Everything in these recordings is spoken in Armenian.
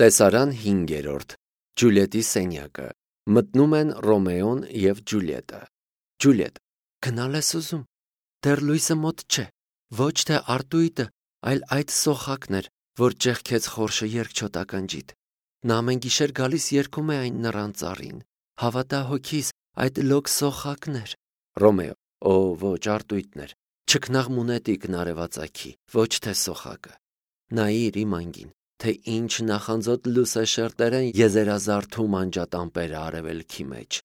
Տեսարան 5. Ջուլիետի սենյակը։ Մտնում են Ռոմեոն և Ջուլիետը։ Ջուլիետ. Գնալ ես ուզում։ Դեռ լույսը մոտ չէ։ Ոչ թե Արտույտը, այլ այդ սոխակն էր, որ ճեղքեց խորշը երկչոտ ականջիդ։ Նա ամեն գիշեր գալիս երգում է այն նռան ծառին։ Հավատա հոգիս, այդ լոկ սոխակն էր։ Ռոմեո. Օ, ոչ, Արտույտն էր։ Չքնաղ մունետիկն արևածագի, ոչ թե սոխակը։ Նայիր իմ անգին, թե ինչ նախանձոտ լուսեշերտեր են եզերազարդում անջատամպերը արևելքի մեջ։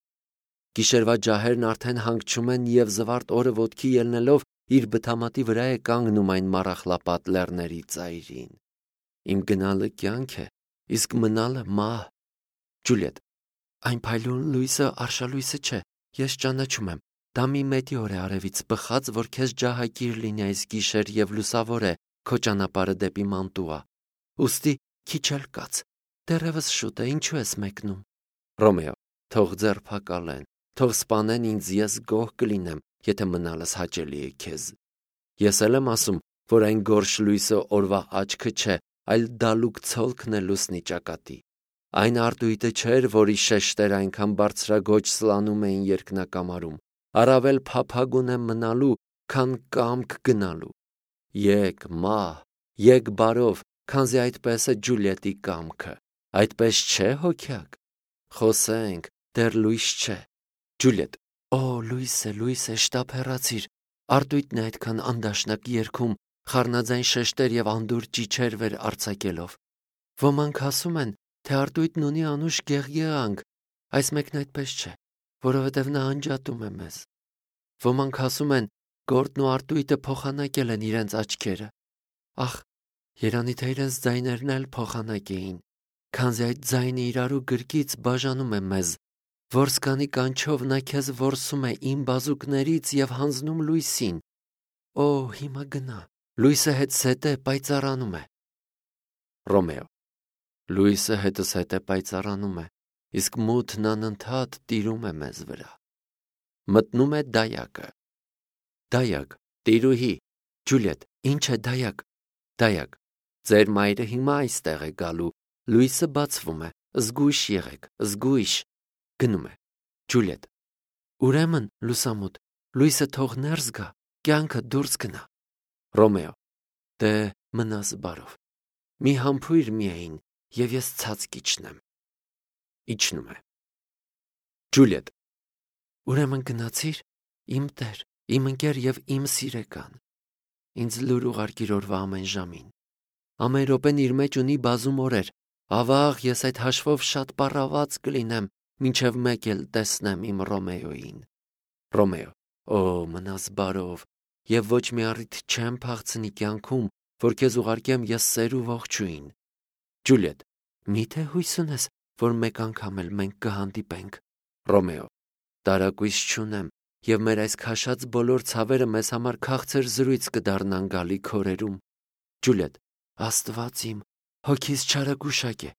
Գիշերվա ջահերն արդեն հանգչում են և զվարթ օրը ոտքի ելնելով իր բթամատի վրա է կանգնում այն մառախլապատ լեռների ծայրին։ Իմ գնալը կյանք է, իսկ մնալը մահ։ Ջուլիետ. Այն փայլուն լույսը արշալույսը չէ, ես ճանաչում եմ։ Դա մի մետեոր է արևից բխած, որ քեզ ջահագիր լինի այս գիշեր և լուսավոր է քո ճանապարհը դեպի Մանտուա։ Ուստի քիչ էլ կաց, դեռևս շուտ է, ինչու ես մեկնում։ Ռոմեո. Թող ձերբակալեն, թող սպանեն ինձ, ես գոհ կլինեմ, եթե մնալս հաճելի է քեզ։ Ես էլ եմ ասում, որ այն գորշ լույսը օրվա աչքը չէ, այլ դալուկ ցոլքն է լուսնի ճակատի։ Այն Արտույտը չէր, որի շեշտերը այնքան բարձրագոչ սլանում էին երկնակամարում, առավել փափագուն է մնալու, քան կամք գնալու։ Եկ մահ, եկ բարով, քանզի այդպես է Ջուլիետի կամքը, այդպես չէ հոգյակ։ Խոսենք, դեռ լույս չէ։ Ջուլիետ. Օ, լույս է, շտապ հեռացիր։ Արտույտն է այդքան անդաշնակ երգում, խառնաձայն շեշտեր և անդուր ճիչեր վեր արձակելով։ Ոմանք ասում են, թե Արտույտն ունի անուշ գեղգեղանք, այս մեկն այդպես չէ, որովհետև նա անջատում է մեզ։ Ոմանք ասում են, Գորտն ու Արտույտը փոխանակել են իրենց աչքերը։ Ախ, երանի թե իրենց ձայներն էլ փոխանակ էին, քանզի այդ ձայնը իրարու գրկից բաժանում է մեզ, որսկանի կանչով նա քեզ որսում է իմ բազուկներից և հանձնում լույսին։ Օ, հիմա գնա, լույսը հետս հետ է պայծառանում է։ Ռոմեո. Լույսը հետս հետ է պայծառանում է, իսկ մութն անընդհատ տիրում է մեզ վրա։ Մտնում է դայակը։ Դայակ, տիրուհի։ Ջուլիետ. Ինչ է դայակ։ Դայակ. Ձեր մայրը հիմա այստեղ է գալու, լույսը բացվում է, զգույշ եղեք, զգույշ։ Գնում է։ Ջուլիետ. Ուրեմն, լուսամուտ, լույսը թող ներս գա, կյանքը դուրս գնա։ Ռոմեո. Դե մնաս բարով։ Մի համբույր միայն, և ես ցած կիջնեմ։ Իջնում է։ Ջուլիետ. Ուրեմն գնացիր, իմ տեր, իմ ընկեր և իմ սիրեկան։ Ինձ լուր ուղարկիր օրվա ամեն ժամին։ Ամեն րոպեն իր մեջ ունի բազում օրեր։ Ավաղ ես այդ հաշվով շատ պառաված կլինեմ, մինչև մեկ էլ տեսնեմ իմ Ռոմեոյին։ Ռոմեո. Օ, մնաս բարով, և ոչ մի առիթ չեմ փախցնի կյանքում, որ քեզ ուղարկեմ ես սեր ու ողջույն։ Ջուլիետ. Միթե հույս ունես, որ մեկ անգամ էլ մենք կհանդիպենք։ Ռոմեո. Տարակույս չունեմ, և մեր այս քաշած բոլոր ցավերը մեզ համար քաղցր զրույց կդառնան գալիք օրերում։ Ջուլիետ. Աստված իմ, հոգիս չարագուշակ է։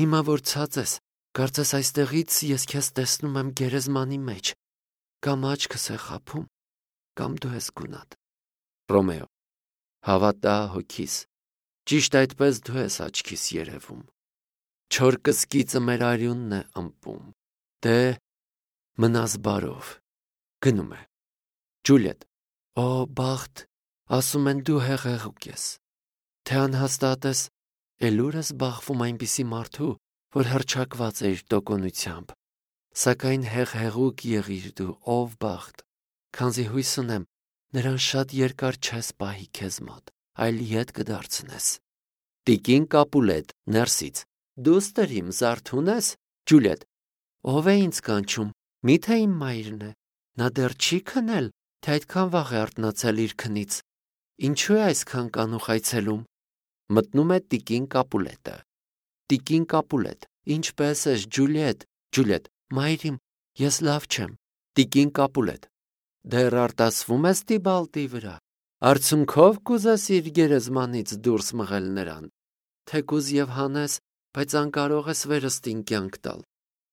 Հիմա որ ցած ես, կարծես այստեղից ես քեզ տեսնում եմ գերեզմանի մեջ։ Կամ աչքս է խաբում, կամ դու ես գունատ։ Ռոմեո. Հավատա հոգիս, ճիշտ այդպես դու ես աչքիս երևում։ Չոր կսկիծը մեր արյունն է ըմպում։ Դե մնաս բարով։ Գնում է։ Ջուլիետ. Օ, բախտ, ասում են դու հեղեղուկ ես։ Թե անհաստատ ես, էլուր ես բախվում այնպիսի մարդու, որ հռչակված է իր տոկունությամբ։ Սակայն հեղեղուկ եղիր դու, ով բախտ, քանզի հույս ունեմ, նրան շատ երկար չես պահի քեզ մոտ, այլ ետ կդարձնես։ Տիկին Կապուլետ, ներսից. Դուստր իմ, զարթուն ես։ Ջուլիետ. Ով է ինձ կանչում, միթե իմ մայրն է։ Նա դեռ չի քնել, թե այդքան վաղ է արթնացել իր քնից։ Ինչու է այսքան կանուխ այցելում։ Մտնում է տիկին Կապուլետը։ Տիկին Կապուլետ. Ինչպե՞ս ես, Ջուլիետ։ Ջուլիետ. Մայրիմ, ես լավ չեմ։ Տիկին Կապուլետ. Դեռ արտասվում ես Տիբալտի վրա։ Արցունքով կուզես իր գերեզմանից դուրս մղել նրան։ Թեկուզ և հանես, բայց անկարող ես վերստին կյանք տալ։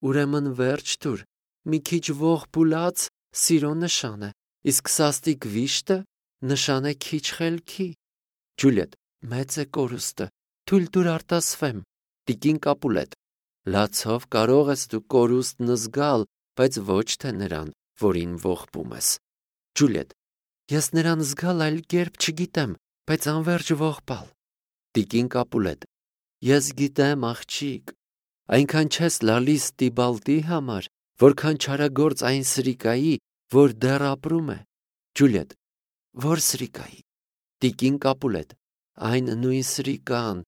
Ուրեմն վերջ տուր, մի քիչ ողբուլած սիրո նշան է, իսկ սաստիկ վիշտը նշան է քիչ խելքի։ Ջուլիետ. Մեծ է կորուստը, թույլ տուր արտասվեմ։ Տիկին Կապուլետ, լացով կարող ես դու կորուստն զգալ, բայց ոչ թե նրան, որին ողբում ես։ Ջուլիետ, ես նրան զգալ այլ կերպ չգիտեմ, բայց անverջ ողբալ։ Տիկին Կապուլետ, ես գիտեմ, աղջիկ, այնքան չես լալիս Տիբալտի համար, որքան չարագործ այն սրիկայի, որ դեռ ապրում է։ Ջուլիետ, որ սրիկայի։ Տիկին Կապուլետ, այն նույն սրիկան,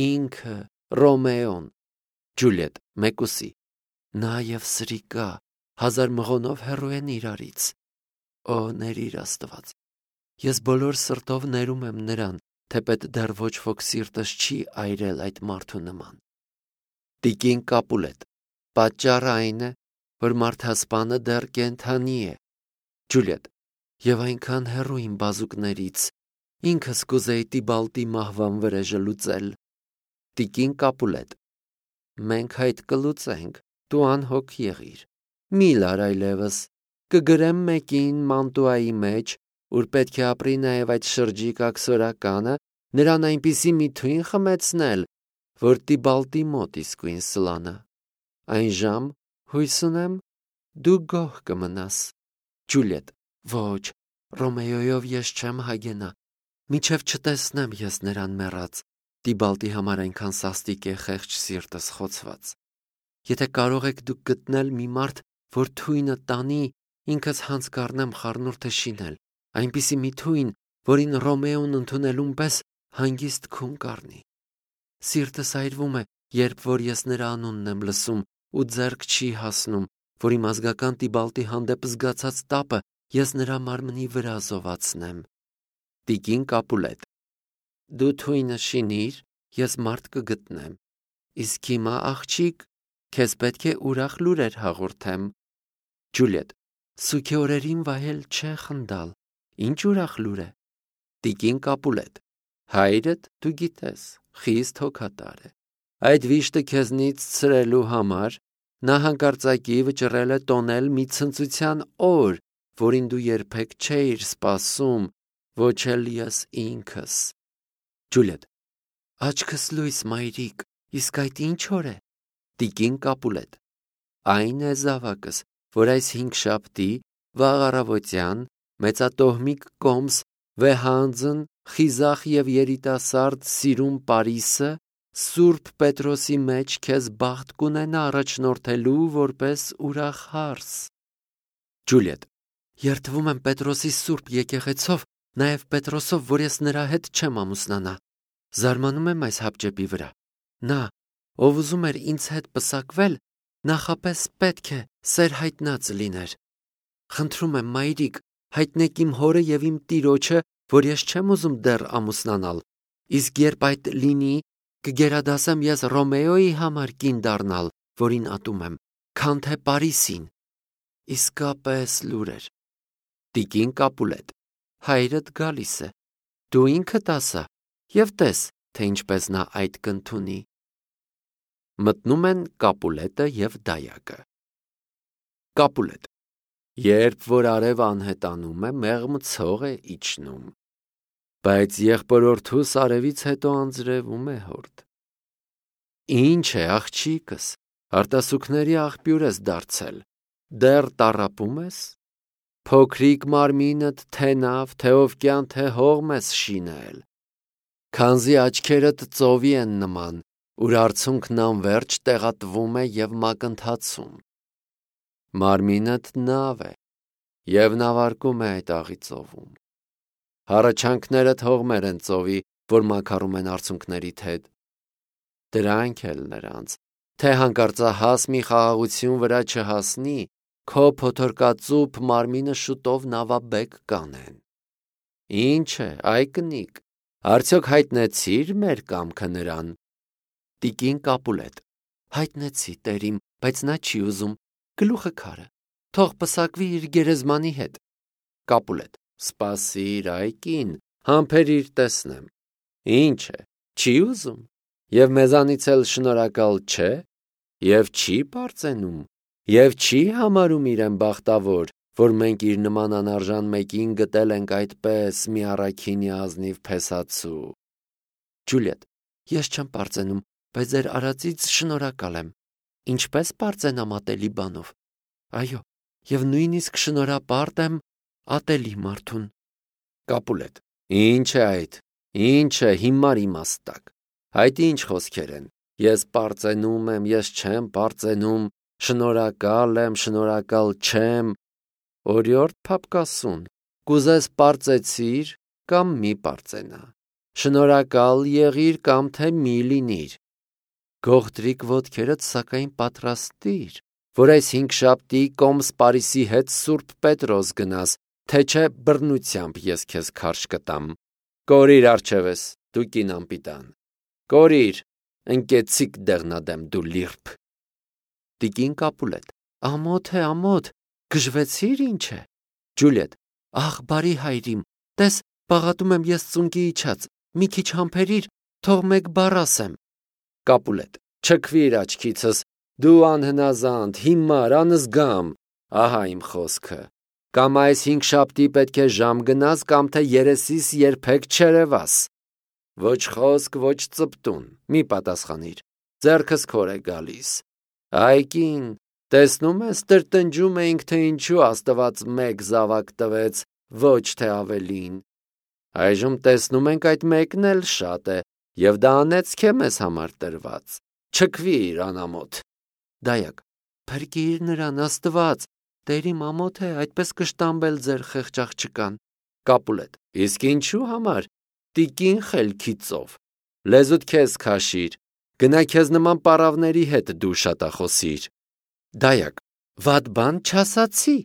ինքը, Ռոմեոն։ Ջուլիետ, մեկուսի, նա և սրիկա, 1000 մղոնով հեռու են իրարից։ Օ, ներիր Աստված, ես բոլոր սրտով ներում եմ նրան, թեպետ դեռ ոչ ոք սիրտս չի այրել այդ մարդու նման։ Տիկին Կապուլետ, պատճառը այն է, որ մարդասպանը դեռ կենդանի է։ Ջուլիետ, եւ այնքան հեռու իմ բազուկներից, ինքս կուզեի Տիբալտի մահվան վրեժը լուծել։ Տիկին Կապուլետ, մենք այդ կլուծենք, դու անհոգ եղիր։ Մի լար այլևս, կգրեմ մեկին մանտուայի մեջ, ուր պետք է ապրի նաև այդ շրջիկ աքսորականը, նրան այնպիսի մի թույն խմեցնել, որ Տիբալտի մոտ իսկույն սլանա։ Այն ժամ, հույս ունեմ, դու գոհ կմնաս։ Ջուլիետ, ոչ, Ռոմեոյով ես չեմ հագենա, մինչև չտեսնեմ ես նրան մեռած, Տիբալտի համար այնքան սաստիկ է խեղճ սիրտս խոցված։ Եթե կարող եք դուք գտնել մի մարդ, որ թույնը տանի, ինքս հանց կառնեմ խառնուրդը շինել, այնպիսի մի թույն, որին Ռոմեոն ընդունելուն պես հանգիստ քուն կառնի։ Սիրտս այրվում է, երբ որ ես նրա անունն եմ լսում ու ձեռք չի հասնում, որ իմ ազգական Տիբալտի հանդեպ զգացած տապը ես նրա մարմնի վրա զովացնեմ։ Տիկին Կապուլետ, դու թույնը շինիր, ես մարդ կգտնեմ։ Իսկ հիմա, աղջիկ, քեզ պետք է ուրախ լուրեր հաղորդեմ։ Ջուլիետ, սուգի օրերին վայել չէ խնդալ, ինչ ուրախ լուր է։ Տիկին Կապուլետ, հայրդ դու գիտես, խիստ հոգատար է։ Այդ վիշտը քեզնից ցրելու համար նա հանկարծակի վճռել է տոնել մի ցնծության օր, որին դու երբեք չէիր սպասում, ոչ էլ ես ինքս։ Ջուլիետ, աչքս լույս, մայրիկ, իսկ այդ ինչ օր է։ Տիկին Կապուլետ, այն է զավակս, որ այս 5 շաբթի վաղ առավոտյան մեծատոհմիկ կոմս վեհանձն խիզախ եւ երիտասարդ սիրուն Պարիսը Սուրբ Պետրոսի մեջ քեզ բախտ կունենա առաջնորդելու որպես ուրախ հարս։ Ջուլիետ, երդվում եմ Պետրոսի Սուրբ եկեղեցով, նաև Պետրոսով, որ ես նրա հետ չեմ ամուսնանա։ Զարմանում եմ այս հապճեպի վրա։ Նա, ով ուզում էր ինձ հետ պսակվել, նախապես պետք է սեր հայտնած լիներ։ Խնդրում եմ, մայրիկ, հայտնեք իմ հորը եւ իմ տիրոջը, որ ես չեմ ուզում դեռ ամուսնանալ, իսկ երբ այդ լինի, կգերադասեմ ես Ռոմեոյի համար կին դառնալ, որին ատում եմ, քան թե Պարիսին։ Իսկապես լուրեր։ Տիկին Կապուլետ, հայրդ գալիս է, դու ինքդ ասա եւ տես, թե ինչպես նա այդ կընդունի։ Մտնում են Կապուլետը եւ դայակը։ Կապուլետ, երբ որ արև անհետանում է, մեղմ ցող է իջնում, բայց եղբորորդուս արևից հետո անձրևում է հորդ։ Ինչ է, աղջիկս, արտասուքների աղբյուր ես դարձել, դեռ տառապում ես։ Փոքրիկ մարմինդ թե նավ, թե օվկյան, թե հողմ ես շինել, քանզի աչքերդ ծովի են նման, ուր արցունքն անverջ տեղատվում է եւ մակընթացում։ Մարմինդ նավ է եւ նավարկում է այդ աղի ծովում։ Հառաչանքներդ հողմեր են ծովի, որ մաքարում են արցունքներիդ հետ։ Դրանք էլ նրանց, թե հանկարծահաս մի խաղաղություն վրա չհասնի, քո փոթորկածուփ մարմինը շուտով նավաբեկ կանեն։ Ինչ է, այ կնիկ, արդյոք հայտնեցիր մեր կամքը նրան։ Տիկին Կապուլետ, հայտնեցի, տերիմ, բայց նա չի ուզում, գլուխը քարը, թող պսակվի իր գերեզմանի հետ։ Կապուլետ, սպասիր, այ կին, համբերիր տեսնեմ։ Ինչ է, չի ուզում, եւ մեզանից էլ շնորհակալ չէ, եւ չի պարծենում, եւ չի համարում իրեն բախտավոր, որ մենք իր նման անարժան մեկին գտել ենք այդպես մի առաքինի ազնիվ փեսացու։ Ջուլիետ, ես չեմ պարծենում, բայց ձեր արածից շնորհակալ եմ։ Ինչպես պարծենամ ատելի բանով։ Այո, եւ նույնիսկ շնորհապարտ եմ ատելի մարդուն։ Կապուլետ. Ինչ է այդ։ Ինչ է հիմար իմաստակ։ Այդ ինչ խոսքեր են։ Ես պարծենում եմ, ես չեմ պարծենում, շնորհակալ եմ, շնորհակալ չեմ։ Օրիորդ փապկասուն, կուզես պարծեցիր կամ մի պարծենա։ Շնորհակալ եղիր կամ թե մի լինիր։ Գողտրիկ ոտքերդ սակայն պատրաստիր, որ այս 5 շաբթի Կոմս Պարիսի հետ Սուրբ Պետրոս գնաս, թե չէ բռնությամբ ես քեզ քարշ կտամ։ Կորիր արջևես, դու կին անպիտան։ Կորիր, ընկեցիկ դեղնադեմ դու լիրբ։ Տիկին Կապուլետ. Ամոթ է, ամոթ, գժվեցիր ինչ է։ Ջուլիետ. Ախ, բարի հայրիմ, տես, բաղատում եմ ես ծունկի իջած, մի քիչ համբերիր, թող մեկ բառ ասեմ։ Կապուլետ. Չքվիր աչքիցս, դու անհնազանդ, հիմար, անզգամ, ահա իմ խոսքը։ Կամ այս 5 շաբթի պետք է ժամ գնաս, կամ թե երեսիս երբեք չերևաս։ Ոչ խոսք, ոչ ծպտուն, մի պատասխանիր, ձեռքս քոր է գալիս։ Այ կին, տեսնում ես, տրտնջում էինք, թե ինչու Աստված մեկ զավակ տվեց, ոչ թե ավելին։ Այժմ տեսնում ենք այդ մեկն էլ շատ է, եւ դա անեծք է մեզ համար տրված։ Չքվիր անամոթ։ Դայակ. Փրկիր նրան Աստված, Տերիմ ամոթ է, այդպես կշտամբել ձեր խեղճ աղջկան։ Կապուլետ. Իսկ ինչու համար։ Տիկին խելքի ծով։ Լեզուդ քեզ քաշիր։ Գնա քեզ նման պարավների հետ դու շատախոսիր։ Դայակ. Վատ բան չասացի։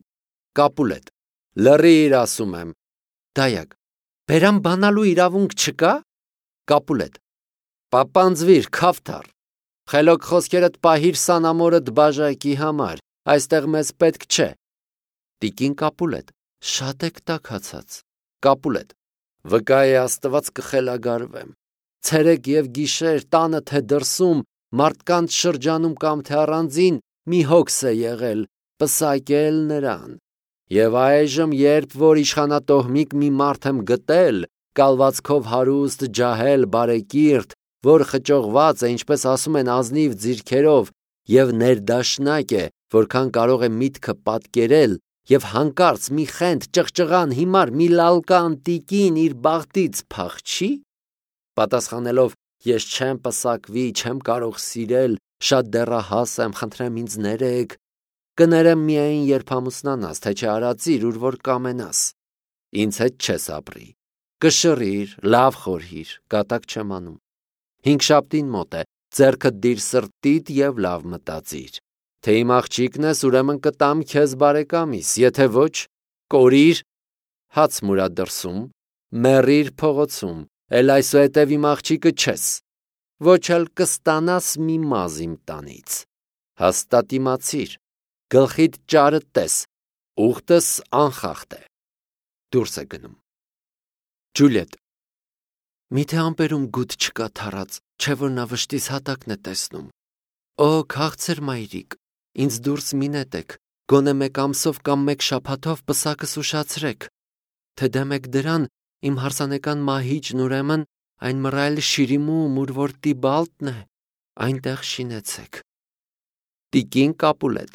Կապուլետ. Լռիր ասում եմ։ Դայակ. Բերամ բանալու իրավունք չկա։ Կապուլետ. Պապանձվիր, քավթար։ Խելոք խոսքերդ պահիր սանամորդ բաժակի համար, այստեղ մեզ պետք չէ։ Տիկին Կապուլետ. Շատ եք տաքացած։ Կապուլետ. Վկա է Աստված կխելագարվեմ։ Ցերեկ եւ գիշեր տանը թե դրսում, մարդկանց շրջանում կամ թե առանձին մի հոգս է եղել, պսակել նրան։ Եվ այժմ, երբ որ իշխանատոհմիկ մի մարդ եմ գտել, կալվածքով հարուստ, ջահել, բարեկիրթ, որ խճողված է, ինչպես ասում են, ազնիվ ձիրքերով, եւ ներդաշնակ է, որքան կարող է միտքը պատկերել, եւ հանկարծ մի խենթ ճղճղան հիմար մի լալկան տիկին իր բախտից փախչի, պատասխանելով ես չեմ պսակվի, չեմ կարող սիրել, շատ դեռահաս եմ, խնդրեմ ինձ ներեք, կներեմ միայն երբ ամուսնանաս, թե չէ արածիր, ուր որ կամենաս, ինձ հետ չես ապրի, կշռիր, լավ խորհիր, կատակ չեմ անում, 5 շաբթին մոտ է, ձեռքդ դիր սրտիդ եւ լավ մտածիր, թե իմ աղջիկն ես, ուրեմն կտամ քեզ բարեկամիս, եթե ոչ, կորիր, հաց մուրա դրսում, մեռիր փողոցում, էլ այսուհետև իմ աղջիկը չես, ոչ էլ կստանաս մի մազ իմ տանից, հաստատ իմացիր, գլխիդ ճարը տես, ուխտս անխախտ է, դուրս է գնում։ Ջուլիետ. Միթե ամպերում գուտ չկա թարած, չէ որ նա վշտից հատակն է տեսնում։ Օ, քաղցր մայրիկ, ինձ դուրս մի նետեք, գոնե 1 ամսով կամ 1 շաբաթով պսակս ուշացրեք, թե դեմ եք դրան իմ հարսանեկան մահիճն ուրեմն այն մռայլ շիրիմում, ուր որ Տիբալտն է, այնտեղ շինեցեք։ Տիկին Կապուլետ.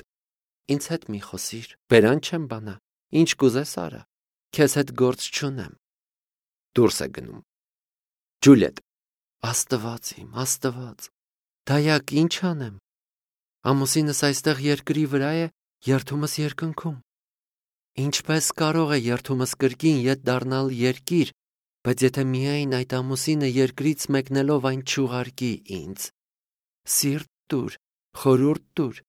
Ինձ հետ մի խոսիր, բերան չեմ բանա, ինչ կուզես արա, քեզ հետ գործ չունեմ։ Դուրս է գնում։ Ջուլիետ. Աստված իմ, Աստված, դայակ ինչ անեմ։ Ամուսինս այստեղ երկրի վրա է, երդումս երկնքում։ Ինչպես կարող է երդումս կրկին ետ դառնալ երկիր, բայց եթե միայն այդ ամուսինը երկրից մեկնելով այն չուղարկի ինձ։ Սիրտ տուր, խորուրդ տուր,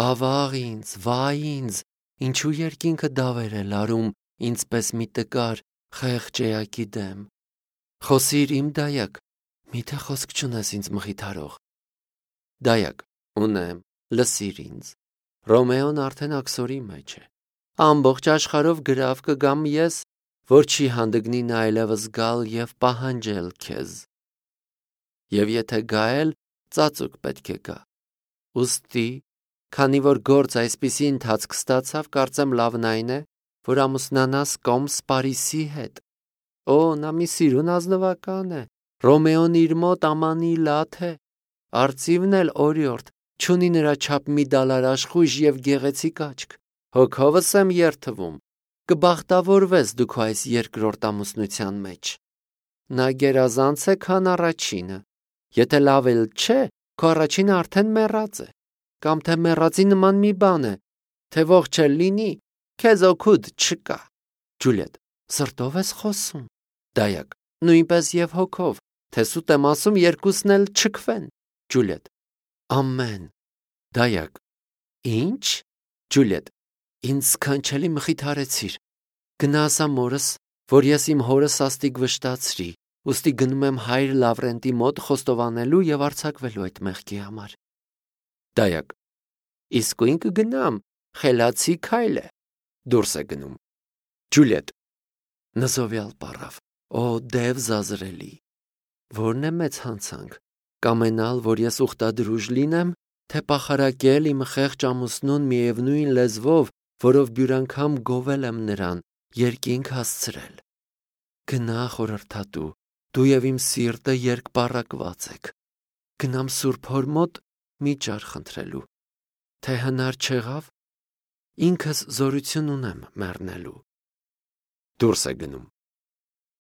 ավաղ ինձ, վայ ինձ, ինչու երկինքը դավեր է լարում ինձպես մի տկար խեղճ էակի դեմ։ Խոսիր իմ դայակ, միթե խոսք չունես ինձ մխիթարող։ Դայակ, ունեմ, լսիր ինձ։ Ռոմեոն արդեն աքսորի մեջ է։ Ամբողջ աշխարհով գրավ կգամ ես, որ չի հանդգնի նա այլևս գալ եւ պահանջել քեզ։ Եվ եթե գա էլ, ծածուկ պետք է գա։ Ուստի, քանի որ գործ այսպիսի ընթացք ստացավ, կարծեմ լավն այն է, որ ամուսնանաս Կոմս Պարիսի հետ։ Օ, նա մի սիրուն ազնվական է, Ռոմեոն իր մոտ ամանի լաթ է, Արծիվն էլ օրիորդ, չունի նրա չափ մի դալար աշխույժ եւ գեղեցիկ աչք։ Հոգովս եմ երթվում, կբախտավորվես դու քո այս երկրորդ ամուսնության մեջ։ Նա գերազանց է, քան առաջինը։ Եթե լավ էլ չէ, քո առաջինը արդեն մեռած է, կամ թե մեռածի նման մի բան է, թե ողջ էլ լինի, քեզ օգուտ չկա։ Ջուլիետ, սրտով ես խոսում։ Դայակ, նույնպես եւ հոգով, թե սուտ եմ ասում, երկուսն էլ չքվեն։ Ջուլիետ, ամեն։ Դայակ, ինչ։ Ջուլիետ, ինձ սքանչելի մխիթարեցիր։ Գնա ասա մորս, որ ես իմ հորը սաստիկ վշտացրի, ուստի գնում եմ հայր Լավրենտի մոտ խոստովանելու եւ արձակվելու այդ մեղքի համար։ Դայակ, իսկույն կգնամ, խելացի քայլ է։ Դուրս է գնում։ Ջուլիետ, նզովյալ պարավ, օ դև զազրելի։ Որն է մեծ հանցանք, կամենալ, որ ես ուխտադրուժ լինեմ, թե պախարակել իմ խեղճ ամուսնուն միևնույն լեզվով, որով բյուր անգամ գովել եմ նրան, երկինք հասցրել։ Գնա խորհրդատու, դու եւ իմ սիրտը երկպառակված եք։ Գնամ Սուրբ Հոր մոտ միջար խնդրելու, թե հնար չեղավ, ինքս զորություն ունեմ մեռնելու։ Դուրս է գնում։